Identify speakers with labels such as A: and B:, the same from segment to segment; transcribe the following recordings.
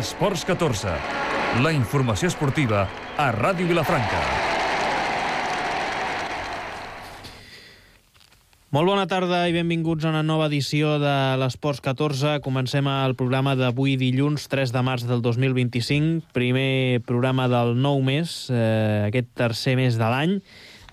A: Esports 14, la informació esportiva a Ràdio Vilafranca.
B: Molt bona tarda i benvinguts a una nova edició de l'Esports 14. Comencem el programa d'avui dilluns 3 de març del 2025, primer programa del nou mes, aquest tercer mes de l'any,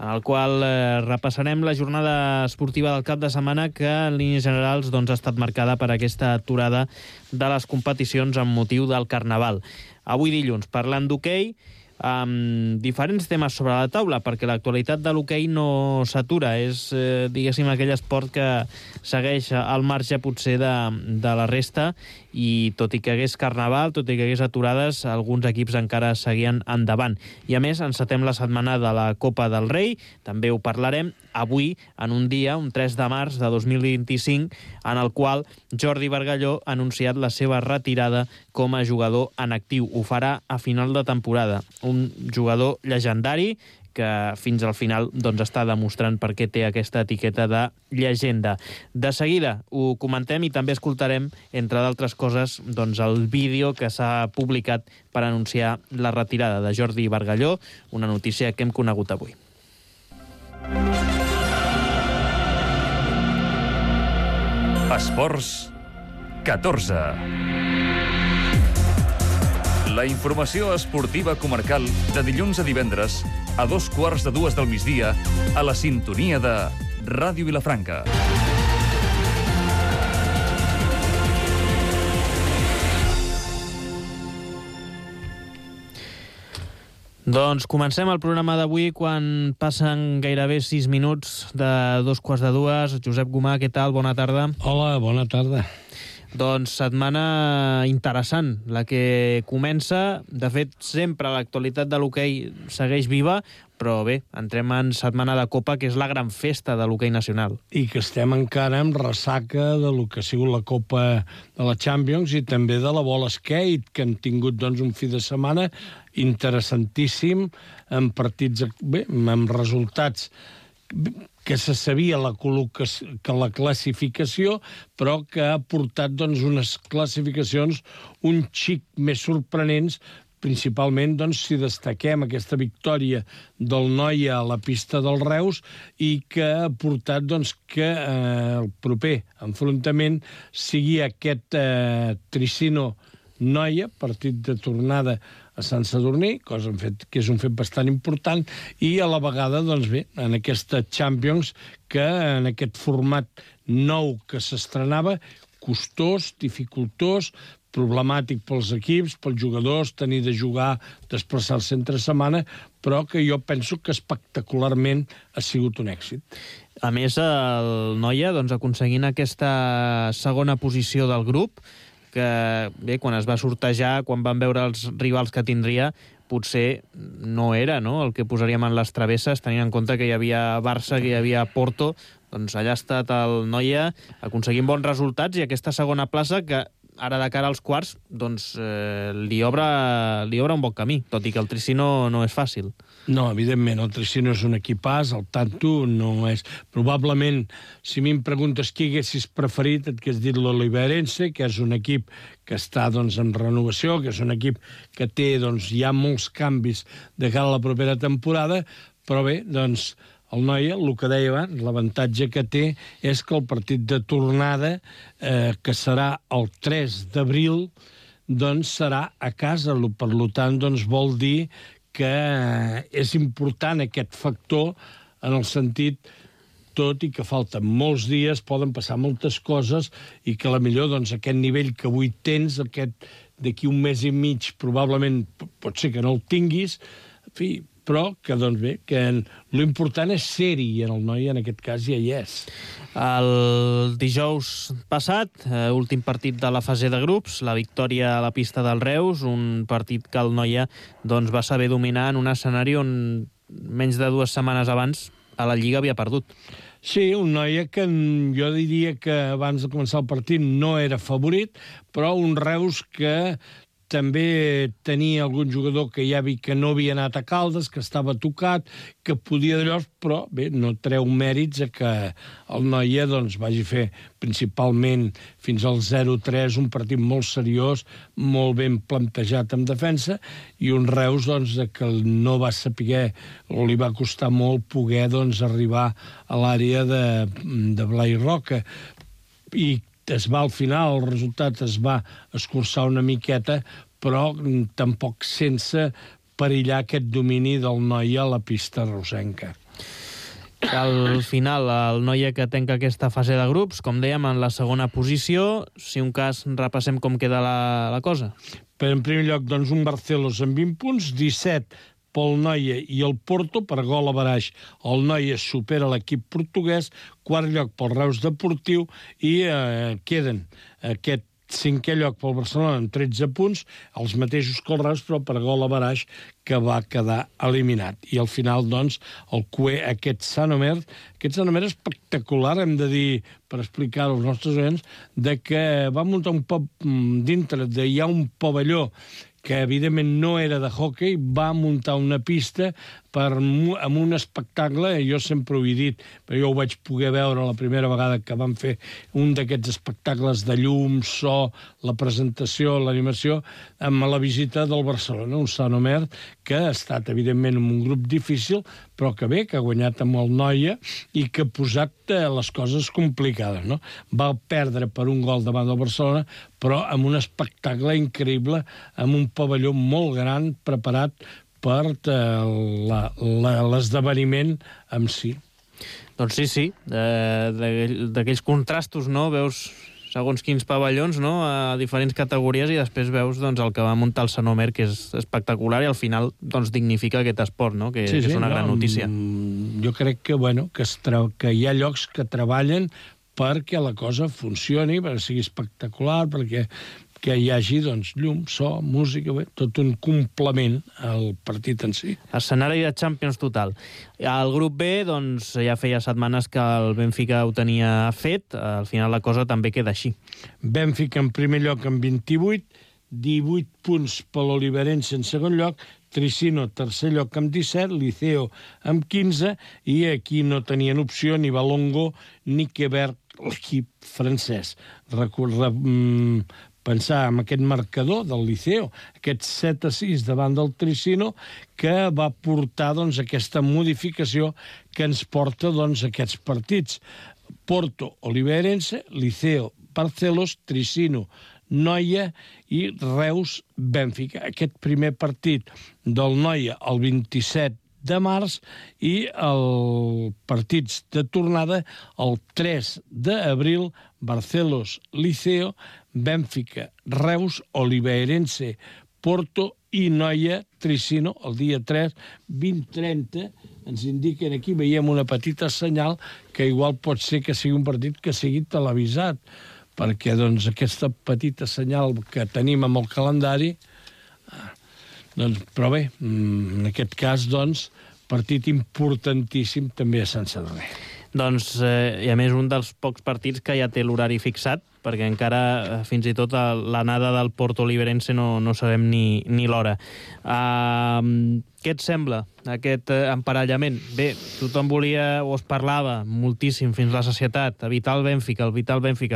B: en el qual repassarem la jornada esportiva del cap de setmana que en línies generals ha estat marcada per aquesta aturada de les competicions amb motiu del Carnaval. Avui dilluns, parlant d'hoquei, amb diferents temes sobre la taula, perquè l'actualitat de l'hoquei no s'atura. És, diguéssim, aquell esport que segueix al marge potser de la resta, i tot i que hagués Carnaval, tot i que hagués aturades, alguns equips encara seguien endavant. I a més, encetem la setmana de la Copa del Rei, també ho parlarem avui, en un dia, un 3 de març de 2025, en el qual Jordi Bargalló ha anunciat la seva retirada com a jugador en actiu. Ho farà a final de temporada. Un jugador llegendari que fins al final està demostrant per què té aquesta etiqueta de llegenda. De seguida ho comentem i també escoltarem, entre d'altres coses, el vídeo que s'ha publicat per anunciar la retirada de Jordi Bargalló, una notícia que hem conegut avui.
A: Esports 14. La informació esportiva comarcal de dilluns a divendres a 2:15 del migdia a la sintonia de Ràdio Vilafranca.
B: Doncs comencem el programa d'avui quan passen gairebé 6 minuts de 2:15. Josep Gomà, què tal? Bona tarda.
C: Hola, bona tarda.
B: Doncs setmana interessant, la que comença. De fet, sempre l'actualitat de l'hoquei segueix viva, però bé, entrem en setmana de Copa, que és la gran festa de l'hoquei nacional.
C: I que estem encara amb ressaca de lo que ha sigut la Copa de la Champions i també de la bola skate, que hem tingut un fi de setmana interessantíssim, amb partits, bé, amb resultats que se sabia la classificació, però que ha portat unes classificacions un xic més sorprenents, principalment si destaquem aquesta victòria del Noia a la pista del Reus i que ha portat que el proper enfrontament sigui aquest Tricino-Noia, partit de tornada a Sant Sadurní, cosa que és un fet bastant important, i a la vegada, bé, en aquesta Champions, que en aquest format nou que s'estrenava, costós, dificultós, problemàtic pels equips, pels jugadors, tenir de jugar, desplaçar-se entre setmana, però que jo penso que espectacularment ha sigut un èxit.
B: A més, el Noia, aconseguint aquesta segona posició del grup, que bé, quan es va sortejar, quan van veure els rivals que tindria, potser no era el que posaríem en les travesses, tenint en compte que hi havia Barça, que hi havia Porto. Doncs allà ha estat el Noia aconseguint bons resultats i aquesta segona plaça que ara de cara als quarts li obre un bon camí, tot i que el Tricino no és fàcil.
C: No, evidentment, el Tricino és un equipàs, el Tanto no és... Probablement, si a mi em preguntes qui haguessis preferit, et hagués dit l'Oliveirense, que és un equip que està en renovació, que és un equip que té ja molts canvis de cara a la propera temporada, però bé, el Noia, el que deia abans, l'avantatge que té és que el partit de tornada, que serà el 3 d'abril, serà a casa. Per tant, vol dir que és important aquest factor en el sentit, tot i que falten molts dies, poden passar moltes coses i que potser aquest nivell que avui tens, d'aquí un mes i mig probablement pot ser que no el tinguis, en fi, però que bé, que l'important és ser-hi, i en el Noia en aquest cas ja hi és.
B: El dijous passat, últim partit de la fase de grups, la victòria a la pista del Reus, un partit que el Noia va saber dominar en un escenari on menys de 2 setmanes abans a la Lliga havia perdut.
C: Sí, un Noia que jo diria que abans de començar el partit no era favorit, però un Reus que també tenia algun jugador que ja vi que no havia anat a Caldes, que estava tocat, que podia d'allò, però bé, no treu mèrits a que el Noia doncs, vagi fer principalment fins al 0-3 un partit molt seriós, molt ben plantejat en defensa, i un Reus doncs, que no va saber o li va costar molt poder doncs, arribar a l'àrea de Blai Roca. I es va al final, el resultat es va escurçar una miqueta, però tampoc sense perillar aquest domini del Noia a la pista reusenca.
B: Al final, el Noia que tanca aquesta fase de grups, com dèiem, en la segona posició. Si un cas, repassem com queda la cosa.
C: Però en primer lloc, doncs, un Barcelos amb 20 punts, 17 pel Noia i el Porto, per gol a baraix. El Noia supera l'equip portuguès, quart lloc pel Reus Deportiu, i queden aquest 5è lloc pel Barcelona amb 13 punts, els mateixos que el Reus, però per gol a baraix, que va quedar eliminat. I al final, doncs, el cué, aquest Sanomer espectacular, hem de dir, per explicar als nostres oients, de que va muntar dintre hi ha un pavelló que evidentment no era de hoquei, va muntar una pista amb un espectacle, jo sempre ho he dit, però jo ho vaig poder veure la primera vegada que van fer un d'aquests espectacles de llum, so, la presentació, l'animació, amb la visita del Barcelona, un Sanomer que ha estat, evidentment, en un grup difícil, però que bé, que ha guanyat amb el Noia i que ha posat les coses complicades, no? Va perdre per un gol davant del Barcelona, però amb un espectacle increïble, amb un pavelló molt gran preparat per l'esdeveniment en si.
B: Doncs sí, d'aquells contrastos, no? Veus segons quins pavellons, no?, a diferents categories, i després veus doncs, el que va muntar el Sanomer, que és espectacular, i al final doncs, dignifica aquest esport, no?, que és una gran notícia.
C: Jo crec que, que hi ha llocs que treballen perquè la cosa funcioni, perquè sigui espectacular, perquè que hi hagi doncs, llum, so, música, tot un complement al partit en si.
B: Escenari de Champions total. Al grup B, doncs, ja feia setmanes que el Benfica ho tenia fet, al final la cosa també queda així.
C: Benfica en primer lloc amb 28, 18 punts per l'Oliverense en segon lloc, Tricino tercer lloc amb 17, Liceo amb 15, i aquí no tenien opció ni Balongo ni Quebert, l'equip francès. Pensar en aquest marcador del Liceo, aquest 7-6 davant del Tricino, que va portar doncs, aquesta modificació que ens porta doncs, aquests partits. Porto, Oliverense, Liceo, Barcelos, Tricino, Noia i Reus, Benfica. Aquest primer partit del Noia el 27 de març i els partits de tornada el 3 d'abril, Barcelos, Liceo, Benfica, Reus, Oliverense, Porto i Noia, Tricino, el dia 3, 20:30, ens indiquen aquí, veiem una petita senyal que igual pot ser que sigui un partit que sigui televisat, perquè doncs, aquesta petita senyal que tenim amb el calendari, doncs, però bé, en aquest cas, doncs, partit importantíssim també a Sant Sadurní.
B: Doncs, i a més, un dels pocs partits que ja té l'horari fixat, perquè encara, fins i tot, l'anada del Porto Oliverense no sabem ni l'hora. Què et sembla, aquest emparellament? Bé, tothom volia, o es parlava moltíssim fins la sacietat, evitar el Benfica.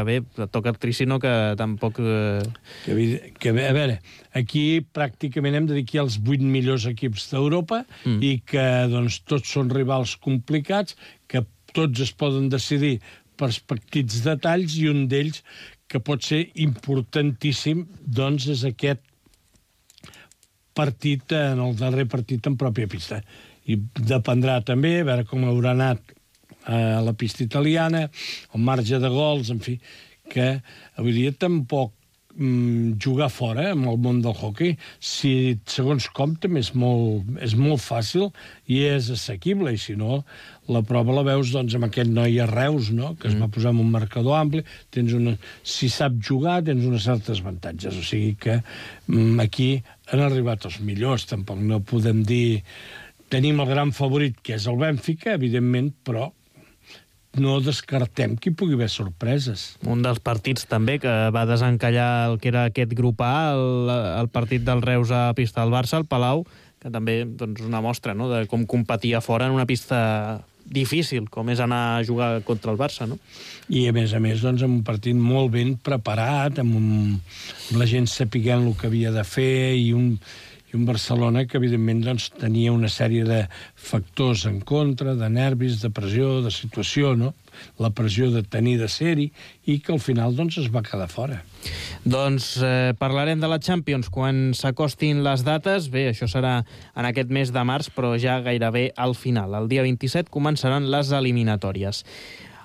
B: Bé, toca el Tricino, que tampoc...
C: A veure, aquí pràcticament hem de dir que hi ha els 8 millors equips d'Europa i que doncs, tots són rivals complicats, que tots es poden decidir per petits detalls, i un d'ells que pot ser importantíssim doncs és aquest partit, en el darrer partit en pròpia pista. I dependrà també a veure com haurà anat a la pista italiana, el marge de gols, en fi, que avui dia tampoc jugar fora amb el món del hoquei, si segons com també és molt fàcil i és assequible, i si no, la prova la veus doncs, amb aquest Noia Reus, no? Que es va posar en un marcador ampli, si sap jugar tens unes certes avantatges, o sigui que aquí han arribat els millors, tampoc no podem dir tenim el gran favorit que és el Benfica, evidentment, però no descartem que hi pugui haver sorpreses.
B: Un dels partits també que va desencallar el que era aquest grup A, el partit del Reus a pista del Barça, el Palau, que també doncs, una mostra, no?, de com competia fora en una pista difícil, com és anar a jugar contra el Barça, no?
C: I, a més, doncs, amb un partit molt ben preparat, amb la gent sapiguent el que havia de fer, i un Barcelona que, evidentment, doncs, tenia una sèrie de factors en contra, de nervis, de pressió, de situació, no? La pressió de tenir de ser-hi, i que al final doncs, es va quedar fora.
B: Doncs parlarem de la Champions quan s'acostin les dates. Bé, això serà en aquest mes de març, però ja gairebé al final. El dia 27 començaran les eliminatòries.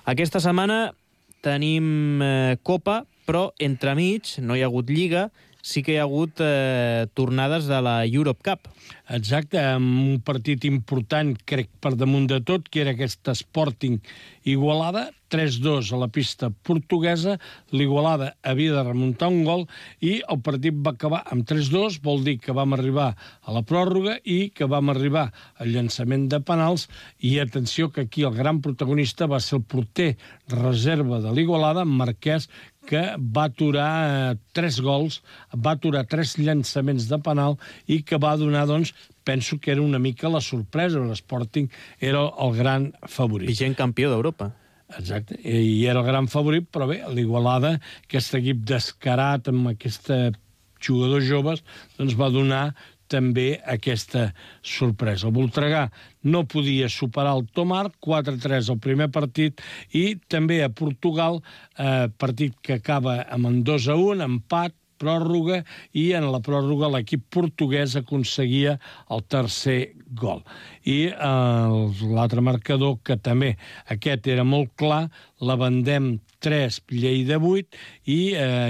B: Aquesta setmana tenim Copa, però entremig no hi ha hagut Lliga, sí que hi ha hagut tornades de la Europe Cup.
C: Exacte, amb un partit important, crec, per damunt de tot, que era aquest Sporting Igualada, 3-2 a la pista portuguesa. L'Igualada havia de remuntar un gol i el partit va acabar amb 3-2, vol dir que vam arribar a la pròrroga i que vam arribar al llançament de penals. I atenció que aquí el gran protagonista va ser el porter reserva de l'Igualada, Marquès, que va aturar 3 gols, va aturar 3 llançaments de penal i que va donar, doncs, penso que era una mica la sorpresa. L'Sporting era el gran favorit.
B: Vigent campió d'Europa.
C: Exacte, i era el gran favorit, però bé, l'Igualada, aquest equip descarat amb aquests jugadors joves, doncs va donar també aquesta sorpresa. El Voltregà no podia superar el Tomar, 4-3 al primer partit, i també a Portugal, partit que acaba amb un 2-1, empat, pròrroga, i en la pròrroga l'equip portuguès aconseguia el tercer gol. I l'altre marcador, que també aquest era molt clar, la Vendem 3, Lleida 8, i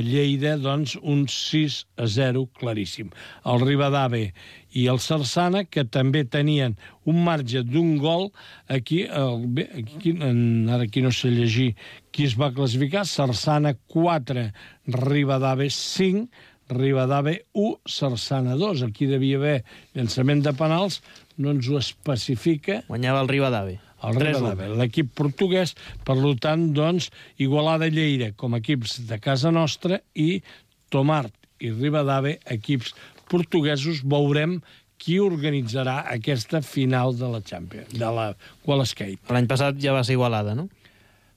C: Lleida, doncs, un 6-0 claríssim. El Ribadave i el Sarsana, que també tenien un marge d'un gol, aquí ara aquí no sé llegir qui es va classificar, Sarsana 4, Ribadave 5, Ribadave 1, Sarsana 2. Aquí devia haver llançament de penals, no ens ho especifica.
B: Guanyava el Ribadave.
C: El Ribadave, l'equip portuguès. Per tant, doncs, Igualada i Lleida com equips de casa nostra i Tomart i Ribadave, equips portuguesos. Veurem qui organitzarà aquesta final de la Champions, de la Wall Skate.
B: L'any passat ja va ser Igualada, no?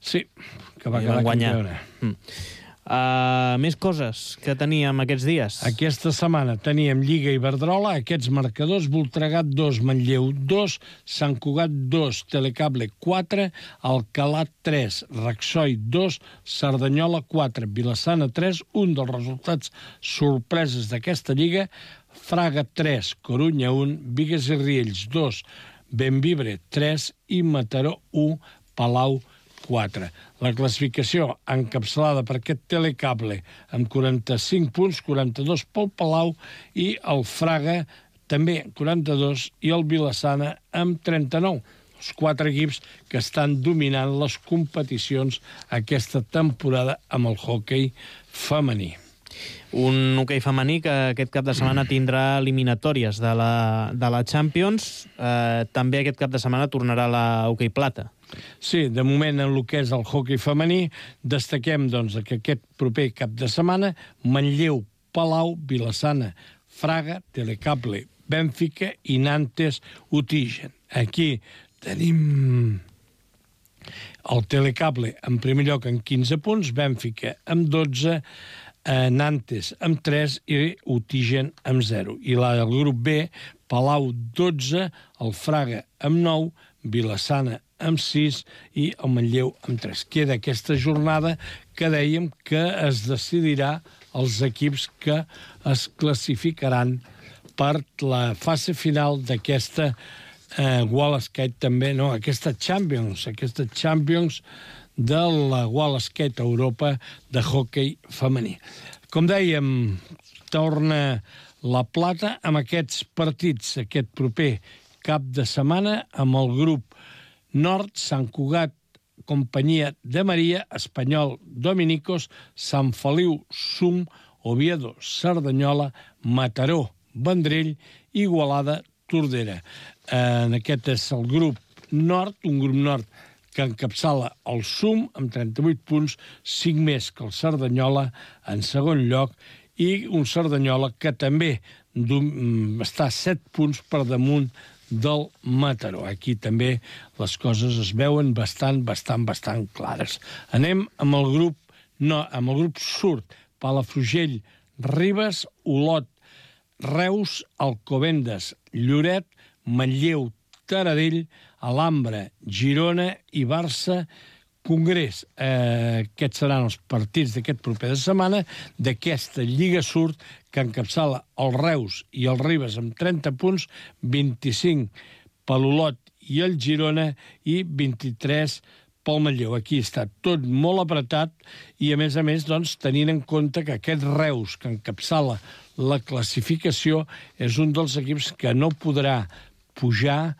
C: Sí, que va quedar campiona.
B: Més coses que teníem aquests dies.
C: Aquesta setmana teníem Lliga Iberdrola, aquests marcadors: Voltregà 2, Manlleu 2, Sant Cugat 2, Telecable 4, Alcalà 3, Raxoi 2, Cerdanyola 4, Vilassana 3, un dels resultats sorpreses d'aquesta Lliga, Fraga 3, Corunya 1, Bigues i Riells 2, Bembibre 3 i Mataró 1, Palau 4. La classificació encapçalada per aquest Telecable amb 45 punts, 42 pel Palau, i el Fraga també 42, i el Vilassana amb 39. Els 4 equips que estan dominant les competicions aquesta temporada amb el hoquei femení.
B: Un hoquei femení que aquest cap de setmana tindrà eliminatòries de la Champions. També aquest cap de setmana tornarà la hoquei plata.
C: Sí, de moment en el que és el hoquei femení destaquem, doncs, que aquest proper cap de setmana Manlleu, Palau, Vilassana, Fraga, Telecable, Bènfica i Nantes Utigen. Aquí tenim el Telecable en primer lloc amb 15 punts, Bènfica amb 12, Nantes amb 3 i Utigen amb 0. I el grup B, Palau 12, el Fraga amb 9, Vilassana amb 6 i el Manlleu amb 3. Queda aquesta jornada que dèiem que es decidirà els equips que es classificaran per la fase final d'aquesta Wall Skate també, no, aquesta Champions de la Wall Skate Europa de hoquei femení. Com dèiem, torna la plata amb aquests partits aquest proper cap de setmana amb el grup Nord, Sant Cugat, Companyia de Maria, Espanyol, Dominicos, Sant Feliu, Sum, Oviedo, Cerdanyola, Mataró, Vendrell, Igualada, Tordera. Aquest és el grup Nord, un grup Nord que encapçala el SUM amb 38 punts, 5 més que el Cerdanyola en segon lloc, i un Cerdanyola que també està 7 punts per damunt del Mataró. Aquí també les coses es veuen bastant clares. Anem amb el grup sud: Palafrugell, Ribes, Olot, Reus, Alcobendas, Lloret, Manlleu, Taradell, Alhambra, Girona i Barça, Congrés. Aquests seran els partits d'aquest proper de setmana d'aquesta Lliga Sud, que encapçala el Reus i el Ribes amb 30 punts, 25 per l'Olot i el Girona i 23 pel Manlleu. Aquí està tot molt apretat i, a més, doncs, tenint en compte que aquest Reus, que encapçala la classificació, és un dels equips que no podrà pujar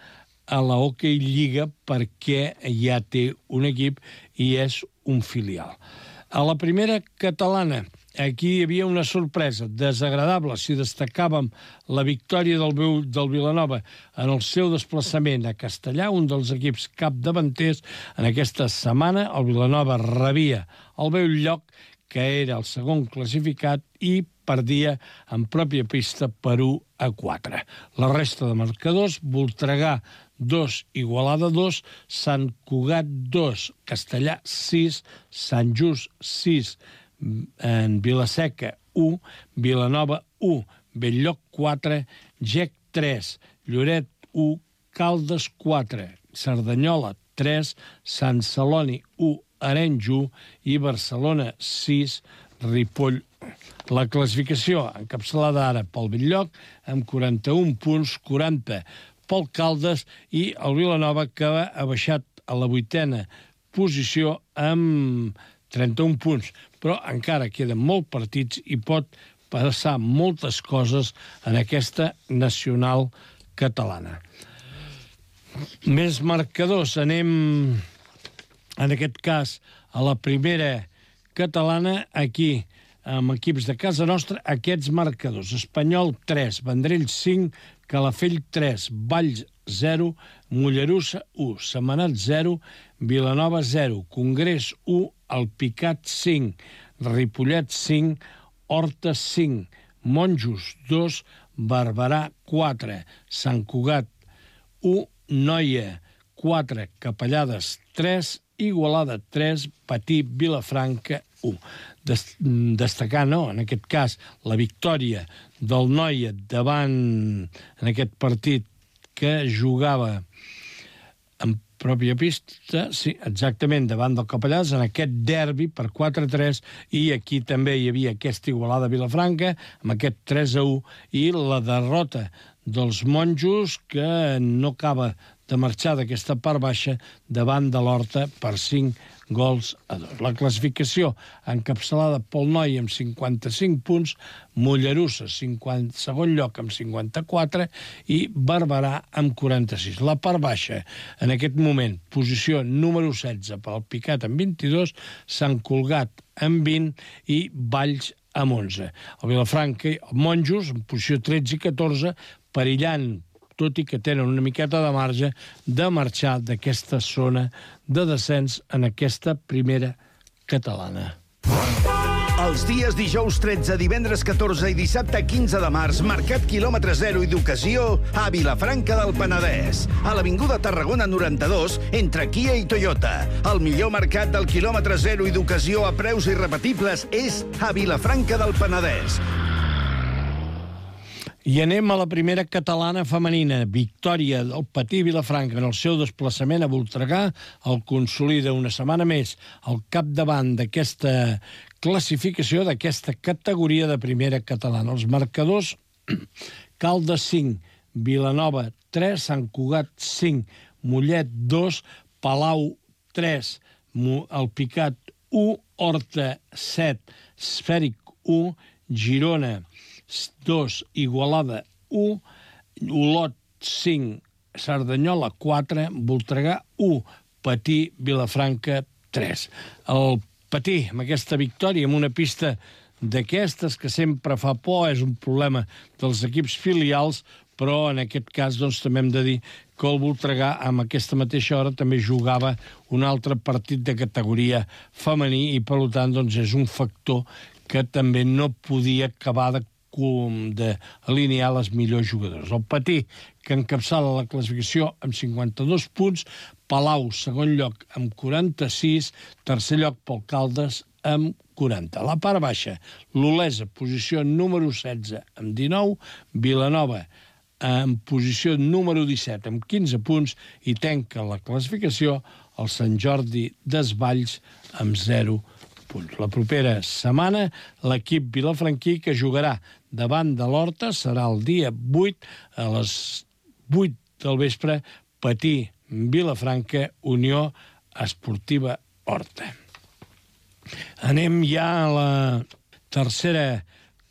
C: a la Hockey Lliga perquè ja té un equip i és un filial. A la primera catalana, aquí hi havia una sorpresa desagradable. Si destacàvem la victòria del Vilanova en el seu desplaçament a Castellà, un dels equips capdavanters en aquesta setmana, el Vilanova rebia el Bell Lloc, que era el segon classificat, i perdia en pròpia pista per 1-4. La resta de marcadors: Voltregà 2, Igualada 2, Sant Cugat 2, Castellà 6, Sant Just 6, en Vilaseca 1, Vilanova 1, Bell-lloc 4, Gec 3, Lloret 1, Caldes 4, Cerdanyola 3, Sant Celoni 1, Arenys 1 i Barcelona 6, Ripoll 1. La classificació encapçalada ara pel Bell-lloc amb 41 punts, 40 pel Caldes, i el Vilanova, que ha baixat a la 8a posició amb 31 punts, però encara queden molts partits i pot passar moltes coses en aquesta nacional catalana. Més marcadors. Anem, en aquest cas, a la primera catalana, aquí, amb equips de casa nostra, aquests marcadors: Espanyol 3, Vendrell 5, Calafell 3, Valls 0, Mollerussa 1, Sentmenat 0, Vilanova 0, Congrés 1, Alpicat 5, Ripollet 5, Horta 5, Monjos 2, Barberà 4, Sant Cugat 1, Noia 4, Capellades 3, Igualada 3, Patí, Vilafranca 1. Destacar, en aquest cas, la victòria del Noia davant, en aquest partit que jugava en pròpia pista, sí, exactament, davant del Capellades, en aquest derbi per 4-3, i aquí també hi havia aquesta Igualada Vilafranca, amb aquest 3-1, i la derrota dels Monjos, que no acaba de marxar d'aquesta part baixa davant de l'Horta per 5-2. La classificació encapçalada pel Noia amb 55 punts, Mollerussa, segon lloc amb 54, i Barberà amb 46. La part baixa, en aquest moment, posició número 16 pel Picat amb 22, Sant Cugat amb 20 i Valls amb 11. El Vilafranca i el Monjos, en posició 13 i 14, perillant, tot i que tenen una miqueta de marge, de marxar d'aquesta zona de descens en aquesta primera catalana.
D: Els dies dijous 13, divendres 14 i dissabte 15 de març, Mercat quilòmetre zero i d'ocasió a Vilafranca del Penedès. A l'Avinguda Tarragona 92, entre Kia i Toyota. El millor mercat del quilòmetre zero i d'ocasió a preus irrepetibles és a Vilafranca del Penedès.
C: I anem a la primera catalana femenina. Victòria del Patí Vilafranca en el seu desplaçament a Voltregà. El consolida una setmana més al capdavant d'aquesta classificació, d'aquesta categoria de primera catalana. Els marcadors: Caldes 5, Vilanova 3, Sant Cugat 5, Mollet 2, Palau 3, Alpicat 1, Horta 7, Esfèric 1, Girona 2, Igualada 1, Olot 5, Cerdanyola 4, Voltregà 1, Patí, Vilafranca 3. El Patí, amb aquesta victòria, amb una pista d'aquestes que sempre fa por, és un problema dels equips filials, però en aquest cas doncs, també hem de dir que el Voltregà amb aquesta mateixa hora també jugava un altre partit de categoria femení i per tant doncs, és un factor que també no podia acabar d'alinear les millors jugadors. El Patí, que encapçala la classificació amb 52 punts, Palau, segon lloc, amb 46, tercer lloc pel Caldes, amb 40. La part baixa, l'Olesa, posició número 16, amb 19, Vilanova, en posició número 17, amb 15 punts, i tanca la classificació el Sant Jordi Desvalls, amb 0 punts. La propera setmana, l'equip vilafranquí, que jugarà davant de l'Horta, serà el dia 8, a les 8 del vespre, Patí, Vilafranca, Unió Esportiva Horta. Anem ja a la tercera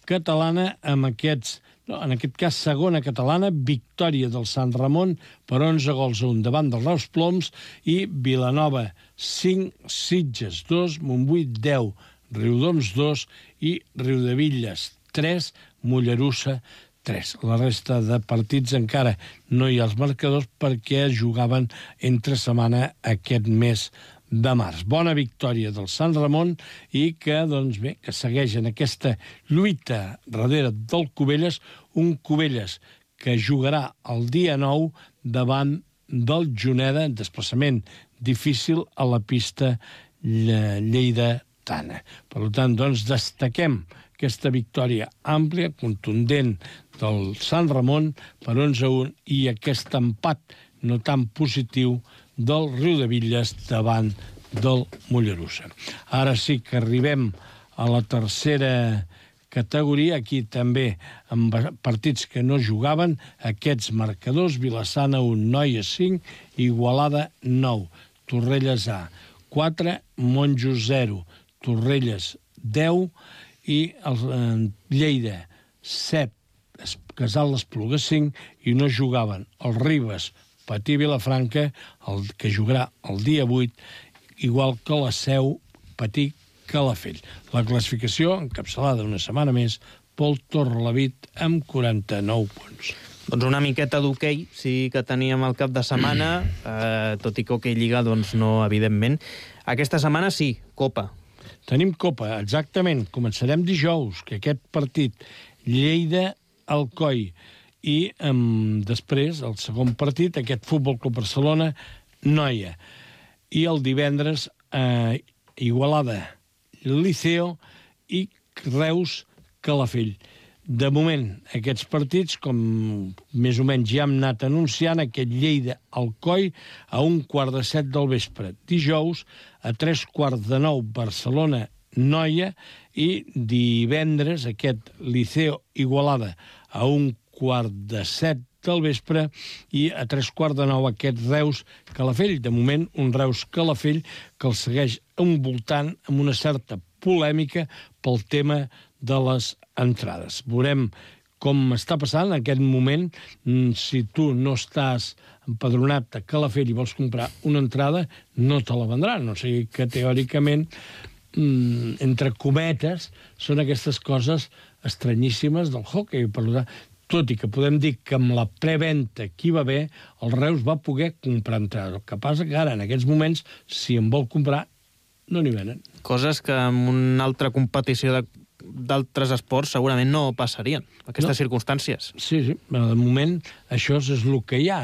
C: catalana amb aquests, en aquest cas segona catalana, victòria del Sant Ramon per 11 gols a 1 davant dels Reus Ploms i Vilanova 5, Sitges 2, Montbui 10, Riudoms 2 i Riudevilles 3, Mollerussa 3. La resta de partits encara no hi ha els marcadors perquè es jugaven entre setmana aquest mes de març. Bona victòria del Sant Ramon i que, doncs bé, que segueix en aquesta lluita darrere del Cubelles, un Cubelles que jugarà el dia 9 davant del Juneda, en desplaçament difícil a la pista lleidatana. Per tant, doncs, destaquem aquesta victòria àmplia, contundent del Sant Ramon per 11-1 i aquest empat no tan positiu del Riudevilles davant del Mollerussa. Ara sí que arribem a la tercera categoria, aquí també amb partits que no jugaven, aquests marcadors: Vilassana 1, Noia 5, Igualada 9, Torrelles A 4, Monjos 0, Torrelles 10 i Lleida 7, Casal l'Espluga 5, i no jugaven el Ribes, Patí Vilafranca, el que jugarà el dia 8, igual que la Seu, Patí Calafell. La classificació encapçalada una setmana més pel Torrelavit amb 49 punts.
B: Doncs una miqueta d'hoquei sí que teníem al cap de setmana, tot i que hoquei lliga, doncs no, evidentment. Aquesta setmana sí, Copa.
C: Tenim Copa, exactament. Començarem dijous, que aquest partit Lleida-Alcoi, i després, el segon partit, aquest Futbol Club Barcelona, Noia. I el divendres, Igualada, Liceo i Reus, Calafell. De moment, aquests partits, com més o menys ja hem anat anunciant, aquest Lleida-Alcoi a 7:15 del vespre. Dijous, a 8:45, Barcelona-Noia, i divendres, aquest Liceo-Igualada a 7:15 del vespre, i a 8:45 aquest Reus-Calafell. De moment, un Reus-Calafell que el segueix envoltant amb una certa polèmica pel tema de les entrades. Veurem com està passant en aquest moment. Si tu no estàs empadronat a Calafell i vols comprar una entrada, no te la vendran. O sigui que, teòricament, entre cometes, són aquestes coses estranyíssimes del hockey. Per tant, tot i que podem dir que amb la preventa que hi va haver, el Reus va poder comprar entrades. El que passa que ara, en aquests moments, si en vol comprar, no n'hi venen. Coses que en una altra competició d'altres esports segurament no passarien, aquestes circumstàncies. Sí, però de moment això és el que hi ha.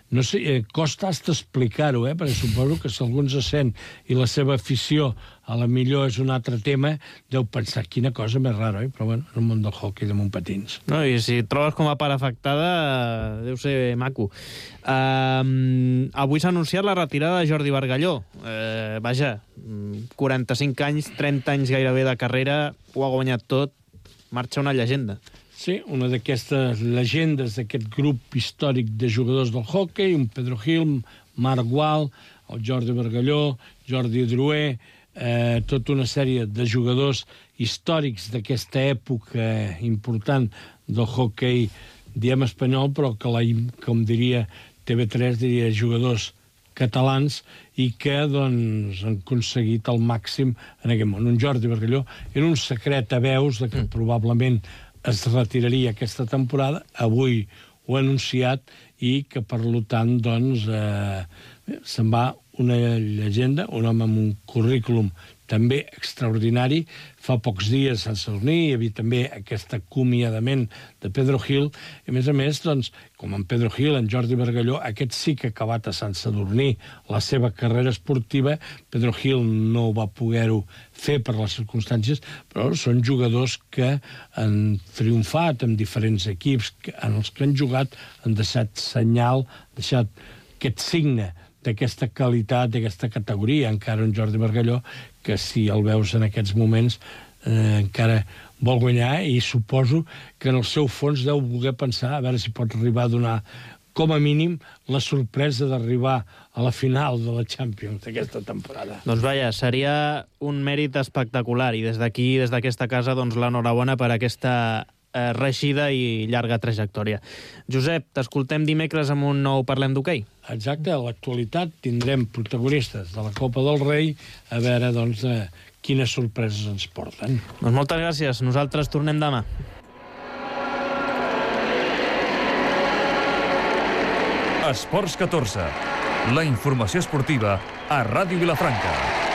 C: No sé, costa hasta explicar-ho, perquè suposo que si algú ens sent i la seva afició a la millor és un altre tema, deu pensar quina cosa més rara, però bueno, és el món del hockey de Montpatins. No, i si et trobes com a part afectada, deu ser maco. Avui s'ha anunciat la retirada de Jordi Bargalló. Vaja, 45 anys, 30 anys gairebé de carrera, ho ha guanyat tot, marxa una llegenda. Sí, una d'aquestes llegendes d'aquest grup històric de jugadors del hockey, un Pedro Gil, Marc Gual, el Jordi Bargalló, Jordi Drouet, tota una sèrie de jugadors històrics d'aquesta època important del hockey, diem espanyol, però que, com diria TV3, diria jugadors catalans i que doncs, han aconseguit el màxim en aquest món. Un Jordi Bargalló era un secret a veus de que probablement es retiraria aquesta temporada. Avui ho ha anunciat i que, per tant, doncs, se'n va una llegenda, un home amb un currículum també extraordinari. Fa pocs dies a Sant Sadurní hi havia també aquest acomiadament de Pedro Gil. I, a més, doncs, com en Pedro Gil, en Jordi Bargalló, aquest sí que ha acabat a Sant Sadurní la seva carrera esportiva. Pedro Gil no va poder-ho fer per les circumstàncies, però són jugadors que han triomfat en diferents equips, en els que han jugat, han deixat senyal, deixat aquest signe d'aquesta qualitat, d'aquesta categoria. Encara un Jordi Bargalló que, si el veus en aquests moments, encara vol guanyar, i suposo que en el seu fons deu voler pensar a veure si pot arribar a donar, com a mínim, la sorpresa d'arribar a la final de la Champions d'aquesta temporada.
B: Doncs vaja, seria un mèrit espectacular, i des d'aquí, des d'aquesta casa, doncs l'enhorabona per aquesta reeixida i llarga trajectòria. Josep, t'escoltem dimecres amb un nou Parlem d'Hoquei.
C: Exacte, a l'actualitat tindrem protagonistes de la Copa del Rei, a veure, doncs, quines sorpreses ens porten.
B: Doncs moltes gràcies, nosaltres tornem demà.
A: Esports 14, la informació esportiva a Ràdio Vilafranca.